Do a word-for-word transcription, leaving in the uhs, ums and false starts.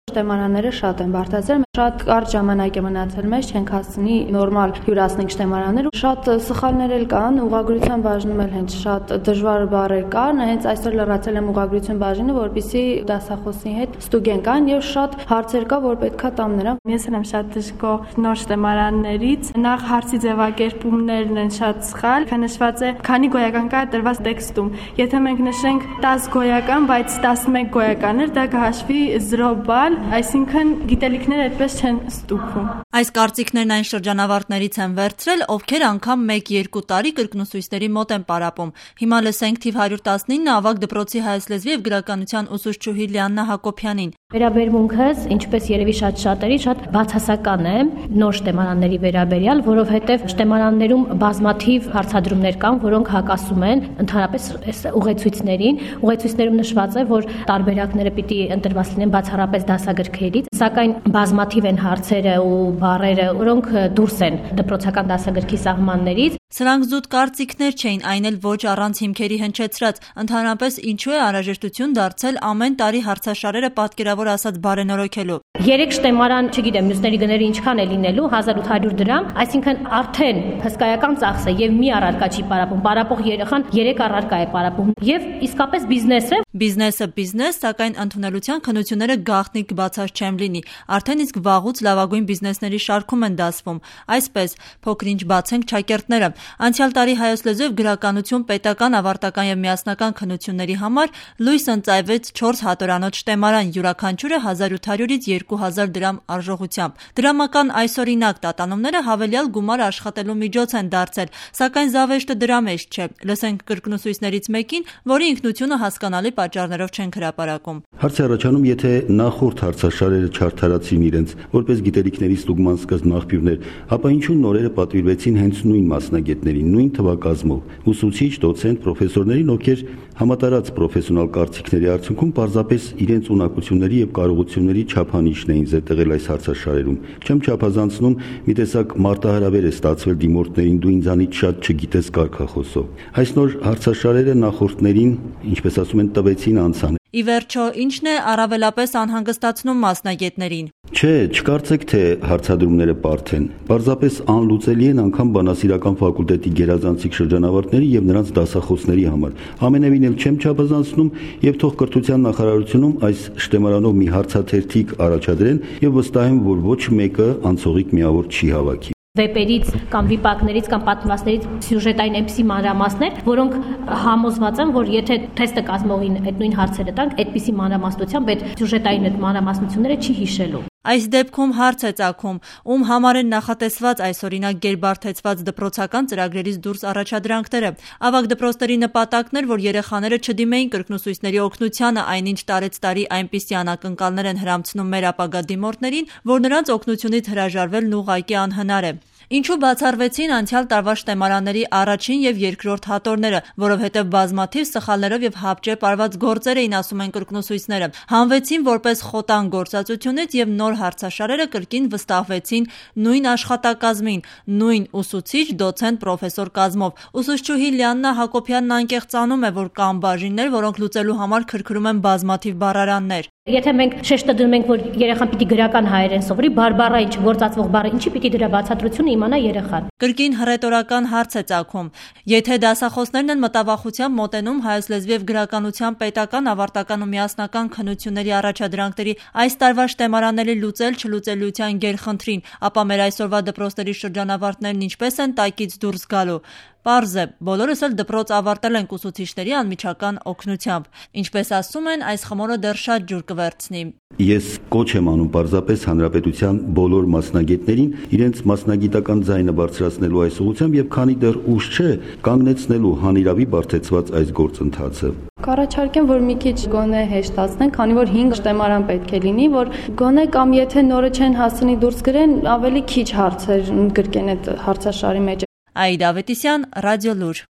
Շտեմարանները շատ են բարդացել, շատ կարճ ժամանակ է մնացել մեզ, չենք հասցնի նորմալ հյուրացնենք շտեմարաններ, շատ սխալներ էլ կան, ուղղագրության բաժնում էլ հենց շատ դժվար բառեր կան, հենց այսօր լրացել եմ ուղղագրություն բաժինը, որպեսզի դասախոսի հետ ստուգեն կան եւ շատ հարցեր կա, որ պետքա տամ նրան։ Ես եմ շատ դժգոհ նոր շտեմարաններից, նախ հարցի ձևակերպումներն են շատ սխալ, նշված է քանի գոյական կա տրված տեքստում, եթե մենք նշենք տասը գոյական, բայց տասնմեկ գոյականներ, դա կհաշվի զրո բալ, այսինքն գիտելիքները այդպես չեն ստուգվում։ Այս կարծիքներն այն շրջանավարտներից են վերցրել, ովքեր անգամ մեկ-երկու տարի կրկնուսույցների մոտ են պարապում։ Հիմա լսենք թիվ հարյուր տասնինը ավագ դպրոցի հայոց լեզվի եւ գրականության ուսուցչուհի Լիաննա Հակոբյանին։ Վերաբերմունքս, ինչպես երևի շատ շատերի, շատ բացասական է նոր շտեմարանների վերաբերյալ, որովհետև շտեմարաններում բազմաթիվ հարցադրումներ կան, որոնք հակասում են ընդհանրապես այս ուղեցույցներին։ Ուղեցույցներում նշված է, որ տարբերակները պիտի ընտրված լինեն բացառապես դասագրքերից, սակայն բազմաթիվ են հարցերը ու բառերը, որոնք դուրս են դպրոցական դասագրքի սահմաններից։ Սրանք զուտ կարծիքներ չէին, այն էլ ոչ առանց հիմքերի հնչեցրած։ Ընդհանրապես ինչու է անհրաժեշտություն դարձել ամեն տարի հարցաշարերը պատկերավոր ասած բարենորոգելու։ Երեք շտեմարան, չգիտեմ, մյուսների գները ինչքան է լինելու, հազար ութ հարյուր դրամ, այսինքն արդեն հսկայական ծախս է եւ մի առարկա չի պարապում, պարապող երեխան երեք առարկա է պարապում եւ իսկապես բիզնես է։ Բիզնեսը բիզնես, սակայն ընդունելության քննությունները գաղտնիք բացած չեմ լինի։ Արդեն իսկ վաղուց լավագույն բիզնեսների շարքում են դասվում։ Այսպես, փոքրինչ բացենք ճակերտները։ Անցյալ տարի հայոց լեզու եւ գրականություն պետական, ավարտական եւ միասնական քննությունների համար լույս ընծայվեց չորս հատորանոց շտեմարան, յուրաքանչյուրը հազար ութ հարյուրից երկու հազար դրամ արժողությամբ։ Դրամական այսօրինակ տատանումները հավելյալ գումար աշխատելու միջոց են դարձել, սակայն զավեշտը դրա մեջ չէ։ Լսենք կրկնուսույցներից մեկին, որի ինքնությունը հասկանալի պատճառներով չեն հրապարակում։ Հարց է առաջանում, եթե նախորդ հարցաշարերը չարդարացին իրենց որպես գիտելիքների ստուգման սկզբն աղբյուրներ, ապա ինչու նորերը պատվիրվեցին հենց նույն մասնագետներին, նույն թվակազմով, ուսուցիչ, դոցենտ, պրոֆեսորներին, ովքեր համատարած պրոֆեսիոնալ կարծիքների արդյունքում պարզապես իրենց ունակությունների եւ կարողությունների չափանիշն էին զետեղել այս հարցաշարերում։ Չեմ չափազանցնում, մի տեսակ մարտահրավեր է ստացվել դիմորդներին, դու ինձանից շատ չգիտես կարգախոսով։ Այս նոր հարցաշարերը նախորդներին, ինչպես ասում են, տվեցին անցան։ Ի վերջո, ինչն է առավելապես անհանգստացնում մասնագետներին։ Չէ, չկարծեք, թե հարցադրումները բարդ են։ Պարզապես անլուծելի են անգամ բանասիրական ֆակուլտետի գերազանցիկ շրջանավարտների եւ նրանց դասախոսների համար։ Ամենևին էլ չեմ չափազանցնում եւ թող կրթության նախարարությունում այս շտեմարանով մի հարցաթերթիկ առաջադրեն եւ վստահ եմ, որ ոչ մեկը անցողիկ միավոր չի հավաքի։ Վեպերից կամ վիպակներից կամ պատմվածներից սյուժետային էպսի մանրամասներ, որոնք համոզված են, որ եթե թեստը կազմողին այդ նույն հարցերը տանք, այդպիսի մանրամասնությամբ այդ սյուժետային այդ մանրամասնությունները չի հիշելու։ Այս դեպքում հարց է ծագում, ում համար են նախատեսված այսօրինակ գերբարթեցված դպրոցական ծրագրերից դուրս առաջադրանքները։ Ավագ դպրոցների նպատակն էր, որ երեխաները չդիմեին կրկնուսույցների օգնությանը, այնինչ տարեց տարի այնպիսի անակնկալներ են հրամցնում մեր ապագա դիմորդներին, որ նրանց օգնությունից հրաժարվելն ուղղակի անհնար է։ Ինչու բացառվեցին անցյալ տարվա շտեմարանների առաջին եւ երկրորդ հատորները, որովհետեւ բազմաթիվ սխալներով եւ հապճեպ արված գործեր էին, ասում են կրկնուսույցները, հանվեցին որպես խոտան գործածությունից եւ նոր հարցաշարերը կրկին վստահվեցին նույն աշխատակազմին, նույն ուսուցիչ, դոցենտ, պրոֆեսոր կազմով։ Ուսուցչուհի Լիաննա Հակոբյանն անկեղծանում է, որ կան բաժիններ, որոնք լուծելու համար քրքրում են բազմաթիվ բառարաններ։ Եթե մենք շեշտը դնում ենք, որ երեխան պիտի գրական հայերեն սովորի, բարբառա ինչ գործածվող բառը, ինչի պիտի դրա բացատրությունը իմանա երեխան։ Կրկին հռետորական հարց է ծագում։ Եթե դասախոսներն են մտավախությամբ մոտենում հայոց լեզվի եւ գրականության պետական, ավարտական ու միասնական քննությունների առաջադրանքների այս տարվա շտեմարանների լուծել չլուծելիության գերխնդրին, ապա մեր այսօրվա դպրոցների շրջանավարտներն ինչպես են տակից դուրս գալու։ Պարզ է, բոլորս էլ դպրոց ավարտել ենք ուսուցիչների անմիջական օգնությամբ։ Ինչպես ասում են, այս խմորը դեռ շատ ջուր կվերցնի։ Ես կոչ եմ անում պարզապես հանրապետության բոլոր մասնագետներին իրենց մասնագիտական ձայնը բարձրացնելու այս ուղղությամբ եւ քանի դեռ ուշ չէ, կանգնեցնելու հանիրավի բարթեցված այս գործընթացը։ Կառաջարկեմ, որ մի քիչ գոնե հեշտացնեն, քանի որ հինգ շտեմարան պետք է լինի, որ գոնե կամ եթե նորը չեն հասցնի դուրս գրեն, ավելի քիչ հարցեր գրկեն այդ հարցաշարի մեջ։ Աիդա Ավետիսյան, Ռադիոլուր։